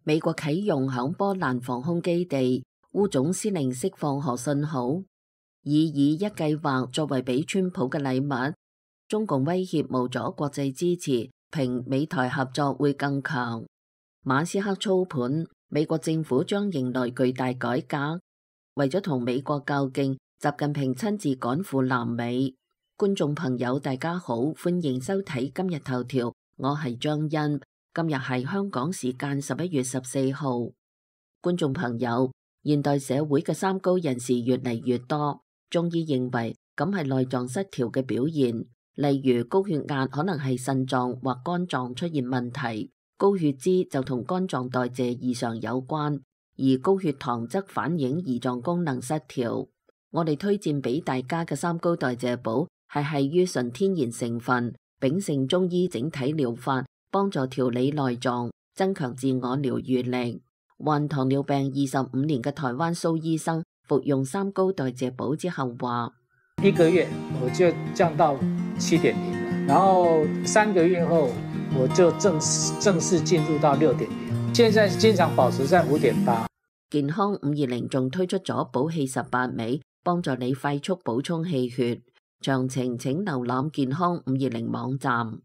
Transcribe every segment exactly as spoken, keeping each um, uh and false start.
美國啟用響波蘭防空基地，烏總司令釋放何信號，以以一計劃作為俾川普嘅禮物。中共威脅無阻國際支持，評美台合作會更強。馬斯克操盤，美國政府將迎來巨大改革。為咗同美國較勁，習近平親自趕赴南美。觀眾朋友大家好，歡迎收睇今日頭條，我係張欣。今日係香港時間十一月十四號。觀眾朋友，現代社會嘅三高人士越嚟越多，中醫認為咁係內臟失調嘅表現。例如高血壓可能係腎臟或肝臟出現問題，高血脂就同肝臟代謝異常有關，而高血糖則反映胰臟功能失調。我哋推薦俾大家嘅三高代謝寶係係於純天然成分，秉承中醫整體療法，幫助調理內臟，增強自我療愈力。患糖尿病二十五年嘅台灣蘇醫生服用三高代謝寶之後話：一個月我就降到七點零，然後三個月後我就正式正式進入到六點零，現在經常保持在五點八。健康五二零仲推出咗補氣十八味，幫助你快速補充氣血。詳情請瀏覽健康五二零網站。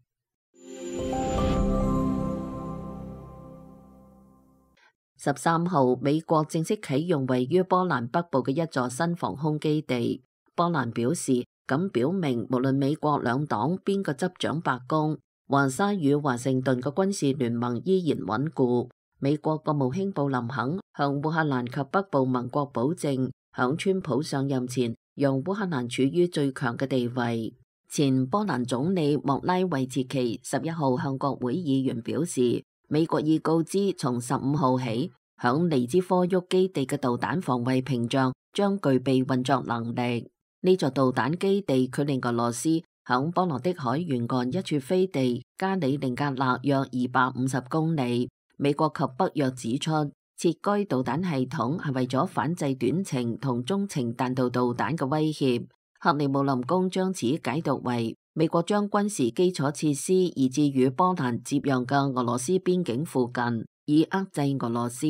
十三號，美國正式啟用位於波蘭北部嘅一座新防空基地。波蘭表示，咁表明無論美國兩黨邊個執掌白宮，華沙與華盛頓嘅軍事聯盟依然穩固。美國國務卿布林肯向烏克蘭及北部盟國保證，響川普上任前，讓烏克蘭處於最強嘅地位。前波蘭總理莫拉維茨奇十一號向國會議員表示，美國已告知從十五號起，響尼茲科沃基地嘅導彈防衛屏障將具備運作能力。呢座導彈基地距離俄羅斯響波羅的海沿岸一處飛地加里寧格勒約二百五十公里。美國及北約指出，設該導彈系統係為咗反制短程同中程彈道導彈嘅威脅。克里姆林宮將此解讀為美國將軍事基礎設施移至與波蘭接壤嘅俄羅斯邊境附近，以遏制俄羅斯。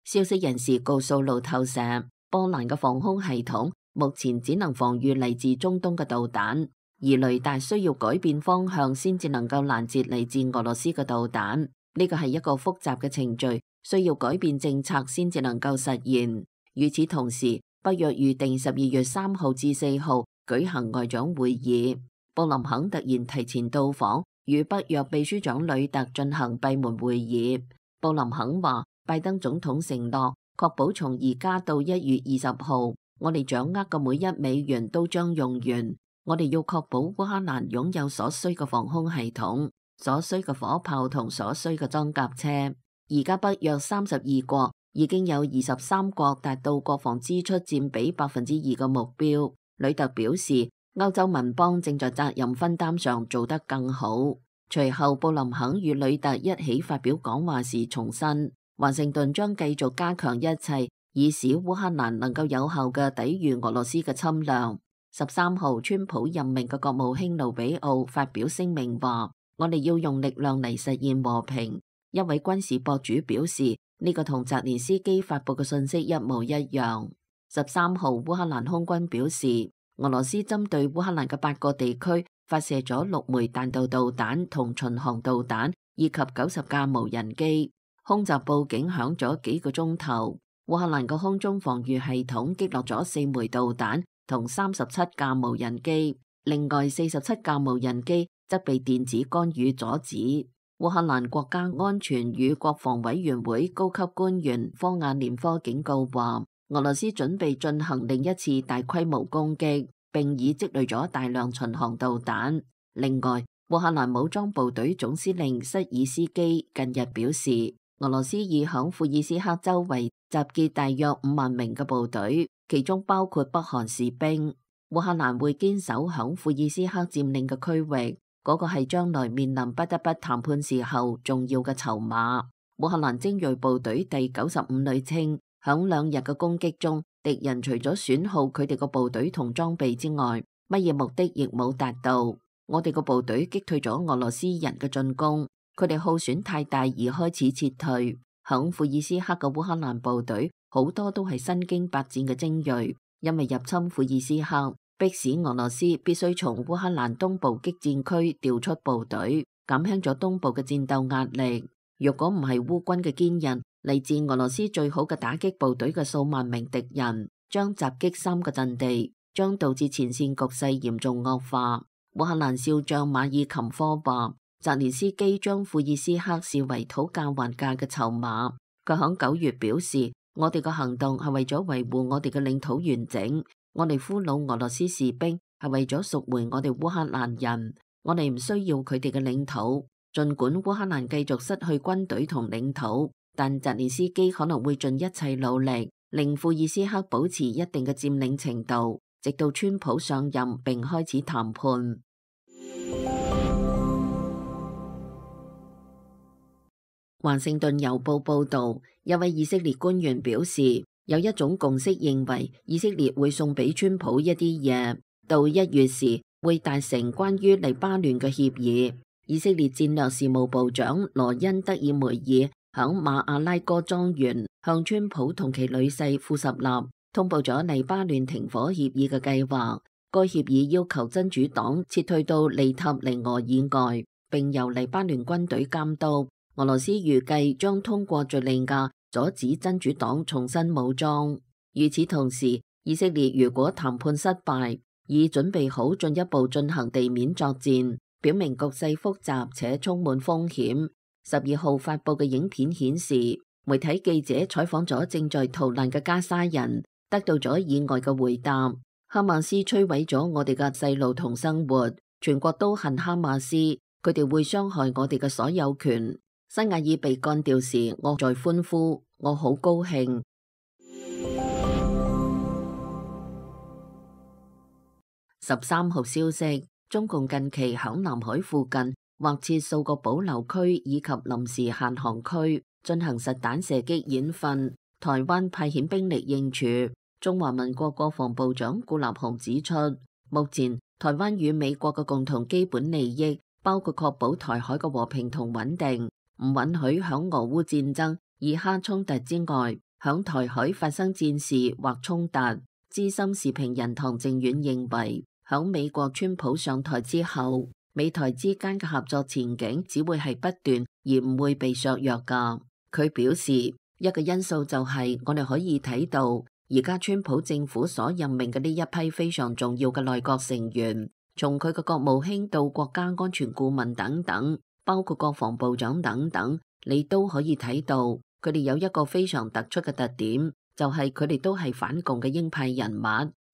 消息人士告訴路透社，波蘭嘅防空系統目前只能防禦嚟自中東嘅導彈，而雷達需要改變方向先至能夠攔截嚟自俄羅斯嘅導彈。呢個係一個複雜嘅程序，需要改變政策先至能夠實現。與此同時，北約預定十二月三號至四號舉行外長會議。布林肯突然提前到訪，與北約秘書長呂特進行閉門會議。布林肯話，拜登總統承諾確保從而家到一月二十號，我哋掌握嘅每一美元都將用完。我哋要確保烏克蘭擁有所需嘅防空系統、所需嘅火炮同所需嘅裝甲車。而家北約三十二國已經有二十三國達到國防支出佔比百分之二嘅目標。呂特表示，歐洲盟邦正在責任分擔上做得更好。隨後，布林肯與呂特一起發表講話時重申，華盛頓將繼續加強一切，以使烏克蘭能夠有效嘅抵禦俄羅斯嘅侵略。十三號，川普任命嘅國務卿盧比奧發表聲明話，我哋要用力量嚟實現和平。一位軍事博主表示，呢個同澤連斯基發佈嘅信息一模一樣。十三號，烏克蘭空軍表示，俄羅斯針對烏克蘭嘅八個地區發射咗六枚彈道導彈同巡航導彈，以及九十架無人機。空襲報警響咗幾個鐘頭。烏克蘭嘅空中防禦系統擊落咗四枚導彈同三十七架無人機，另外四十七架無人機則被電子干預阻止。烏克蘭國家安全與國防委員會高級官員科亞年科警告話，俄羅斯準備進行另一次大規模攻擊，並已積累咗大量巡航導彈。另外，烏克蘭武裝部隊總司令塞爾斯基近日表示，俄羅斯已響庫爾斯克周圍集結大約五萬名嘅部隊，其中包括北韓士兵。烏克蘭會堅守響庫爾斯克佔領嘅區域，嗰個係將來面臨不得不談判時候重要嘅籌碼。烏克蘭精銳部隊第九十五旅稱，響兩日嘅攻擊中，敵人除咗損耗佢哋個部隊同裝備之外，乜嘢目的亦冇達到。我哋個部隊擊退咗俄羅斯人嘅進攻，佢哋耗損太大而開始撤退。響庫爾斯克嘅烏克蘭部隊好多都係身經百戰嘅精鋭，因為入侵庫爾斯克，迫使俄羅斯必須從烏克蘭東部激戰區調出部隊，減輕咗東部嘅戰鬥壓力。若果唔係烏軍嘅堅韌，嚟自俄羅斯最好嘅打擊部隊嘅數萬名敵人，將襲擊三個陣地，將導致前線局勢嚴重惡化。烏克蘭少將馬爾琴科話，澤連斯基將庫爾斯克視為討價還價嘅籌碼。佢響九月表示，我哋嘅行動係為咗維護我哋嘅領土完整，我哋俘虜俄羅斯士兵係為咗贖回我哋烏克蘭人，我哋唔需要佢哋嘅領土。儘管烏克蘭繼續失去軍隊同領土，但澤連斯基可能會盡一切努力，令庫爾斯克保持一定嘅佔領程度，直到川普上任並開始談判。華盛頓郵報報導，一位以色列官員表示，有一種共識認為以色列會送俾川普一啲嘢，到一月時會達成關於黎巴嫩嘅協議。以色列戰略事務部長羅恩德爾梅爾響馬阿拉哥莊園向川普同其女婿庫什納通報咗黎巴嫩停火協議嘅計劃。該協議要求真主黨撤退到利塔尼俄以外，並由黎巴嫩軍隊監督。俄羅斯預計將通過敘利亞阻止真主黨重新武裝。與此同時，以色列如果談判失敗，已準備好進一步進行地面作戰，表明局勢複雜且充滿風險。十二號發佈嘅影片顯示，媒體記者採訪咗正在逃難嘅加沙人，得到咗意外嘅回答：哈馬斯摧毀咗我哋嘅細路同生活，全國都恨哈馬斯，佢哋會傷害我哋嘅所有權。西亞爾被幹掉時，我在歡呼，我好高興。十三號消息，中共近期響南海附近劃設數個保留區以及臨時限航區，進行實彈射擊演訓。台灣派遣兵力應處。中華民國國防部長顧立雄指出，目前台灣與美國嘅共同基本利益，包括確保台海嘅和平同穩定。唔允許響俄烏戰爭、以哈衝突之外，響台海發生戰事或衝突。資深時評人唐靖遠認為，響美國川普上台之後，美台之間嘅合作前景只會係不斷，而唔會被削弱㗎。佢表示，一個因素就係我哋可以睇到，而家川普政府所任命嘅呢一批非常重要嘅內閣成員，從佢嘅國務卿到國家安全顧問等等，包括國防部長等等，你都可以睇到佢哋有一個非常突出嘅特點，就係佢哋都係反共嘅鷹派人物、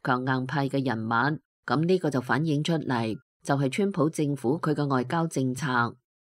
強硬派嘅人物。咁呢個就反映出嚟，就係川普政府佢嘅外交政策，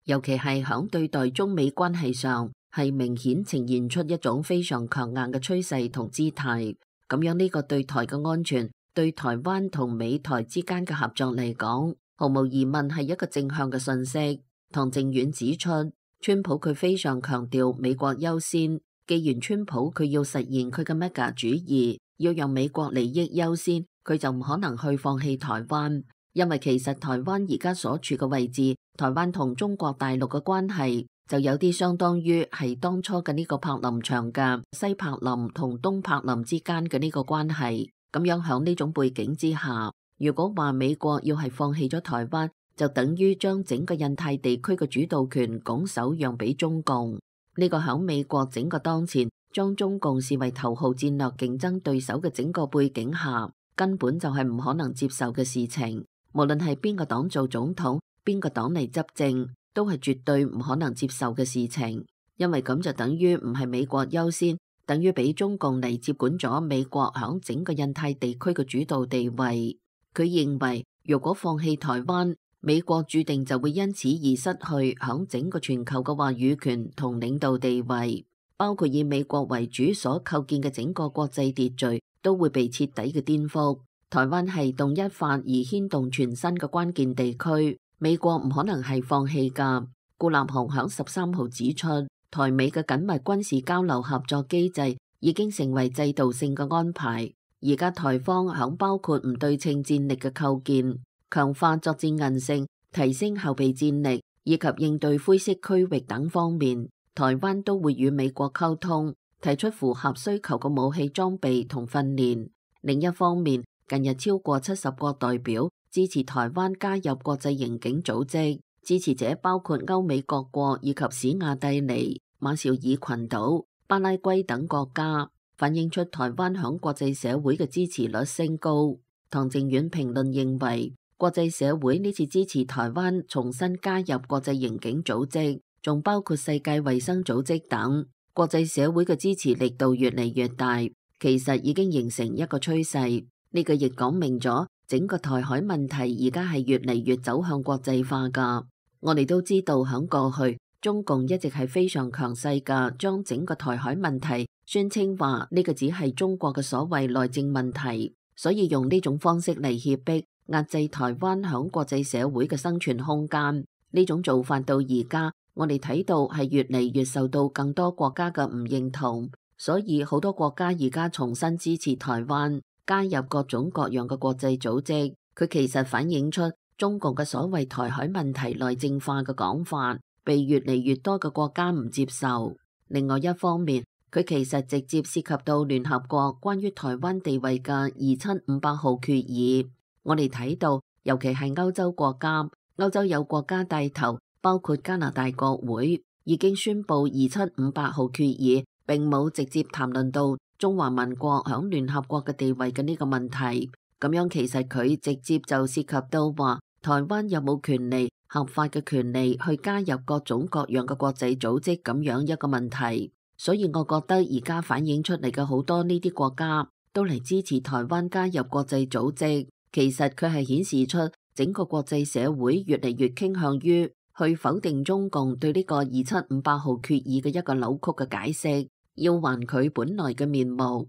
尤其係響對待中美關係上，係明顯呈現出一種非常強硬嘅趨勢同姿態。咁樣呢個對台嘅安全，對台灣同美台之間嘅合作嚟講，毫無疑問係一個正向嘅信息。唐靖遠指出，川普佢非常強調美國優先。既然川普佢要實現佢嘅 mega 主義，要讓美國利益優先，佢就唔可能去放棄台灣。因為其實台灣而家所處嘅位置，台灣同中國大陸嘅關係就有啲相當於係當初嘅呢個柏林牆嘅西柏林同東柏林之間嘅呢個關係。咁樣響呢種背景之下，如果話美國要係放棄咗台灣，就等於將整個印太地區嘅主導權拱手讓俾中共。呢個響美國整個當前將中共視為頭號戰略競爭對手嘅整個背景下，根本就係唔可能接受嘅事情。無論係邊個黨做總統，邊個黨嚟執政，都係絕對唔可能接受嘅事情。因為咁就等於唔係美國優先，等於俾中共嚟接管咗美國響整個印太地區嘅主導地位。佢認為，如果放棄台灣，美國注定就會因此而失去響整個全球嘅話語權同領導地位，包括以美國為主所構建嘅整個國際秩序都會被徹底嘅顛覆。台灣係動一發而牽動全身嘅關鍵地區，美國唔可能係放棄㗎。顧立雄響十三號指出，台美嘅緊密軍事交流合作機制已經成為制度性嘅安排。而家台方響包括唔對稱戰力嘅構建、強化作戰韌性、提升後備戰力以及應對灰色區域等方面，台灣都會與美國溝通，提出符合需求嘅武器裝備同訓練。另一方面，近日超過七十個代表支持台灣加入國際刑警組織，支持者包括歐美各國以及史亞蒂尼、馬紹爾群島、巴拉圭等國家，反映出台灣響國際社會嘅支持率升高。唐靖遠評論認為，國際社會呢次支持台灣重新加入國際刑警組織，仲包括世界衛生組織等，國際社會嘅支持力度越嚟越大，其實已經形成一個趨勢。呢個亦講明咗整個台海問題而家係越嚟越走向國際化㗎。我哋都知道響過去，中共一直係非常強勢㗎，將整個台海問題宣稱話呢個只係中國嘅所謂內政問題，所以用呢種方式嚟脅迫壓制台灣響國際社會嘅生存空間。呢種做法到而家，我哋睇到係越嚟越受到更多國家嘅唔認同，所以好多國家而家重新支持台灣加入各種各樣嘅國際組織。佢其實反映出中共嘅所謂台海問題內政化嘅講法，被越嚟越多嘅國家唔接受。另外一方面，佢其實直接涉及到聯合國關於台灣地位嘅二七五八號決議。我哋睇到，尤其係歐洲國家，歐洲有國家帶頭，包括加拿大國會已經宣布二七五八號決議並冇直接談論到中華民國響聯合國嘅地位嘅呢個問題。咁樣其實佢直接就涉及到話台灣有冇權利、合法嘅權利去加入各種各樣嘅國際組織咁樣一個問題。所以我覺得而家反映出嚟嘅好多呢啲國家都嚟支持台灣加入國際組織，其實佢係顯示出整個國際社會越嚟越傾向於去否定中共對呢個二七五八號決議嘅一個扭曲嘅解釋，要還佢本來嘅面目。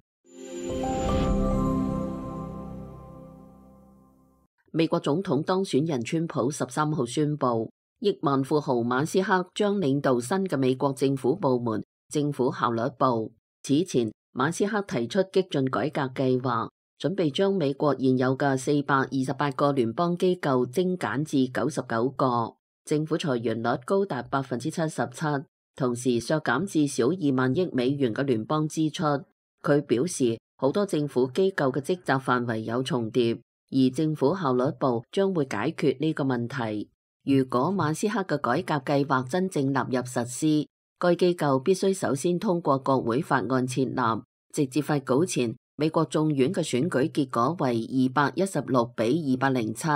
美國總統當選人川普十三號宣布，億萬富豪馬斯克將領導新嘅美國政府部門政府效率部。此前，馬斯克提出激進改革計劃，準備將美國現有嘅四百二十八個聯邦機構精簡至九十九個，政府裁員率高達百分之七十七，同時削減至少二萬億美元嘅聯邦支出。佢表示，好多政府機構嘅職責範圍有重疊，而政府效率部將會解決呢個問題。如果馬斯克嘅改革計劃真正納入實施，該機構必須首先通過國會法案設立。直至發稿前，美國眾院嘅選舉結果為二百一十六比二百零七，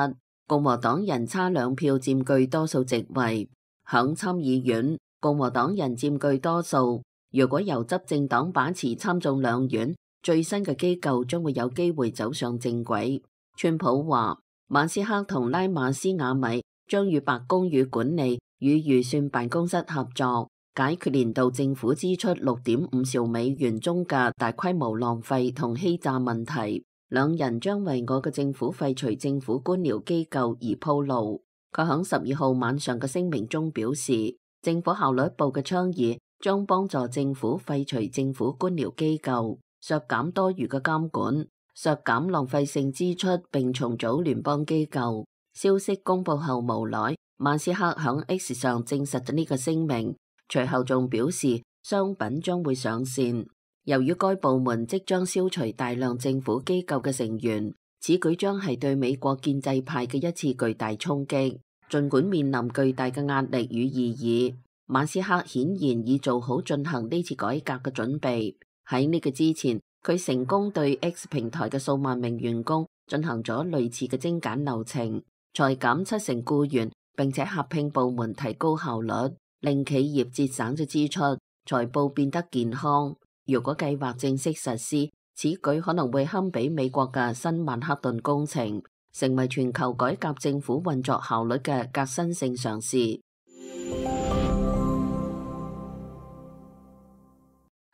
共和黨人差兩票佔據多數席位。響參議院，共和黨人佔據多數。如果由執政黨把持參眾兩院，最新嘅機構將會有機會走上正軌。川普話，馬斯克同拉馬斯瓦米將與白宮與管理與預算辦公室合作，解決年度政府支出六點五兆美元中嘅大規模浪費同欺詐問題。兩人將為我嘅政府廢除政府官僚機構而鋪路。佢響十二號晚上嘅聲明中表示，政府效率部嘅倡議將幫助政府廢除政府官僚機構，削減多餘嘅監管，削減浪費性支出，並重組聯邦機構。消息公布後無耐，馬斯克響 X 上證實咗呢個聲明。隨後仲表示，商品將會上線。由於該部門即將消除大量政府機構嘅成員，此舉將係對美國建制派嘅一次巨大衝擊。儘管面臨巨大嘅壓力與異議，馬斯克顯然已做好進行呢次改革嘅準備。喺呢個之前，佢成功對 X 平台嘅數萬名員工進行咗類似嘅精簡流程，裁減七成僱員，並且合併部門提高效率，令企業節省咗支出，財報變得健康。如果計劃正式實施，此舉可能會堪比美國嘅新曼克頓工程，成為全球改革政府運作效率嘅革新性嘗試。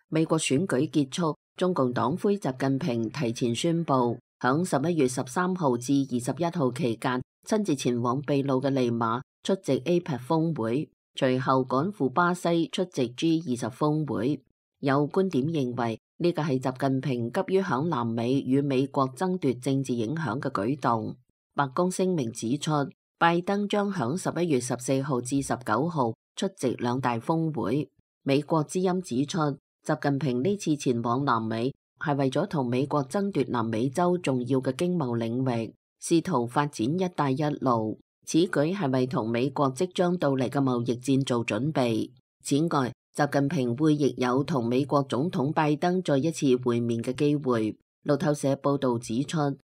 美國選舉結束，中共黨魁習近平提前宣布，響十一月十三號至二十一號期間，親自前往秘魯嘅利馬出席 A P E C 峰會。隨後趕赴巴西出席 G 二十峰會，有觀點認為呢個係習近平急於響南美與美國爭奪政治影響嘅舉動。白宮聲明指出，拜登將響十一月十四號至十九號出席兩大峰會。美國之音指出，習近平呢次前往南美係為咗同美國爭奪南美洲重要嘅經貿領域，試圖發展一帶一路。此舉係為同美國即將到嚟嘅貿易戰做準備。此外，習近平會亦有同美國總統拜登再一次會面嘅機會。路透社報導指出，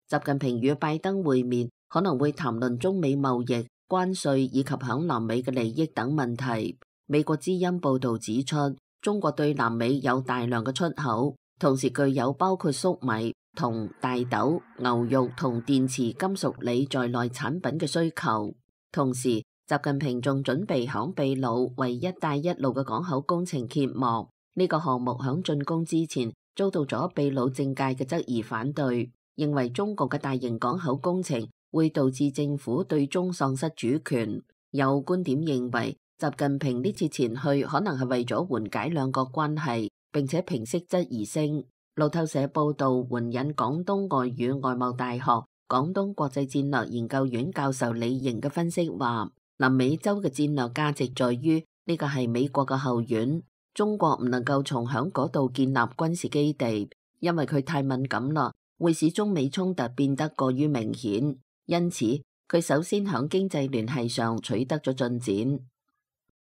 習近平與拜登會面可能會談論中美貿易、關稅以及響南美嘅利益等問題。美國之音報導指出，中國對南美有大量嘅出口，同時具有包括粟米、銅、大豆、牛肉同電池金屬鋰在內產品嘅需求。同時，習近平仲準備響秘魯為一帶一路嘅港口工程揭幕。呢個項目響竣工之前遭到咗秘魯政界嘅質疑反對，認為中國嘅大型港口工程會導致政府對中喪失主權。有觀點認為，習近平呢次前去可能係為咗緩解兩國關係，並且平息質疑聲。路透社報道，援引廣東外語外貿大學廣東國際戰略研究院教授李瑩嘅分析話，南美洲嘅戰略價值在於呢個係美國嘅後院，中國唔能夠從響嗰度建立軍事基地，因為佢太敏感啦，會使中美衝突變得過於明顯。因此，佢首先響經濟聯繫上取得咗進展。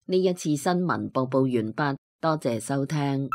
呢一次新聞播報完畢，多謝收聽。